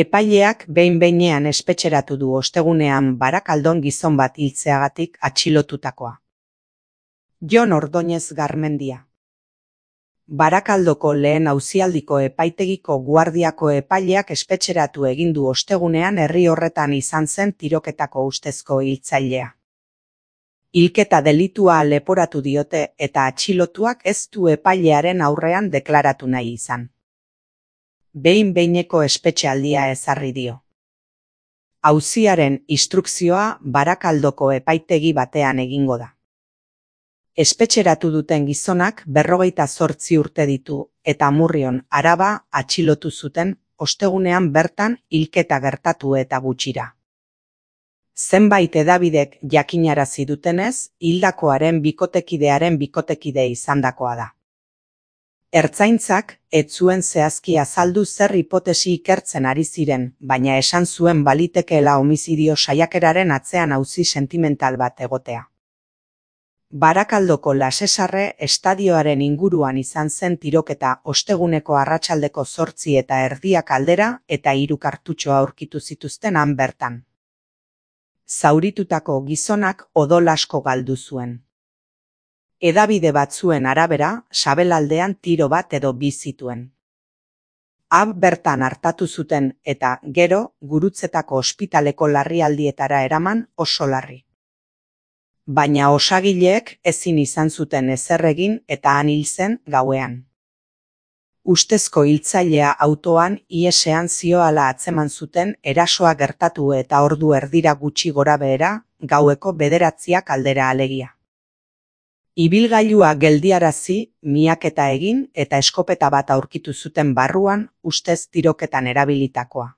Epaileak behin-behinean espetxeratu du ostegunean Barakaldon gizon bat hiltzeagatik atxilotutakoa. Jon Ordóñez Garmendia. Barakaldoko lehen auzialdiko epaitegiko guardiako epaileak espetxeratu egin du ostegunean herri horretan izan zen tiroketako ustezko hiltzailea. Hilketa delitua leporatu diote eta atxilotuak ez du epailearen aurrean deklaratu nahi izan. Behin-behineko espetxealdia ezarri dio. Auziaren instrukzioa Barakaldoko epaitegi batean egingo da. Espetxeratu duten gizonak 58 urte ditu eta Amurrion, Araba, atxilotu zuten ostegunean bertan hilketa gertatu eta gutxira. Zenbait hedabidek jakinarazi dutenez, hildakoaren bikotekidearen bikotekide izandakoa da. Ertzaintzak ez zuen zehazki azaldu zer hipotesi ikertzen ari ziren, baina esan zuen balitekeela homizidio saiakeraren atzean auzi sentimental bat egotea. Barakaldoko Lasesarre estadioaren inguruan izan zen tiroketa osteguneko arratsaldeko 8:30 aldera eta 3 kartutxo aurkitu zituzten han bertan. Zauritutako gizonak odol asko galdu zuen. Hedabide batzuen arabera, sabelaldean tiro bat edo bi zituen. Bertan hartatu zuten eta, gero, Gurutzetako ospitaleko larrialdietara eraman oso larri. Baina osagileek ezin izan zuten ezer egin eta han hil zen gauean. Ustezko hiltzailea autoan ihesean zihoala atzeman zuten erasoa gertatu eta ordu erdira gutxi gorabehera, gaueko 9 aldera alegia. Ibilgailua geldiarazi, miaketa egin eta eskopeta bat aurkitu zuten barruan, ustez tiroketan erabilitakoa.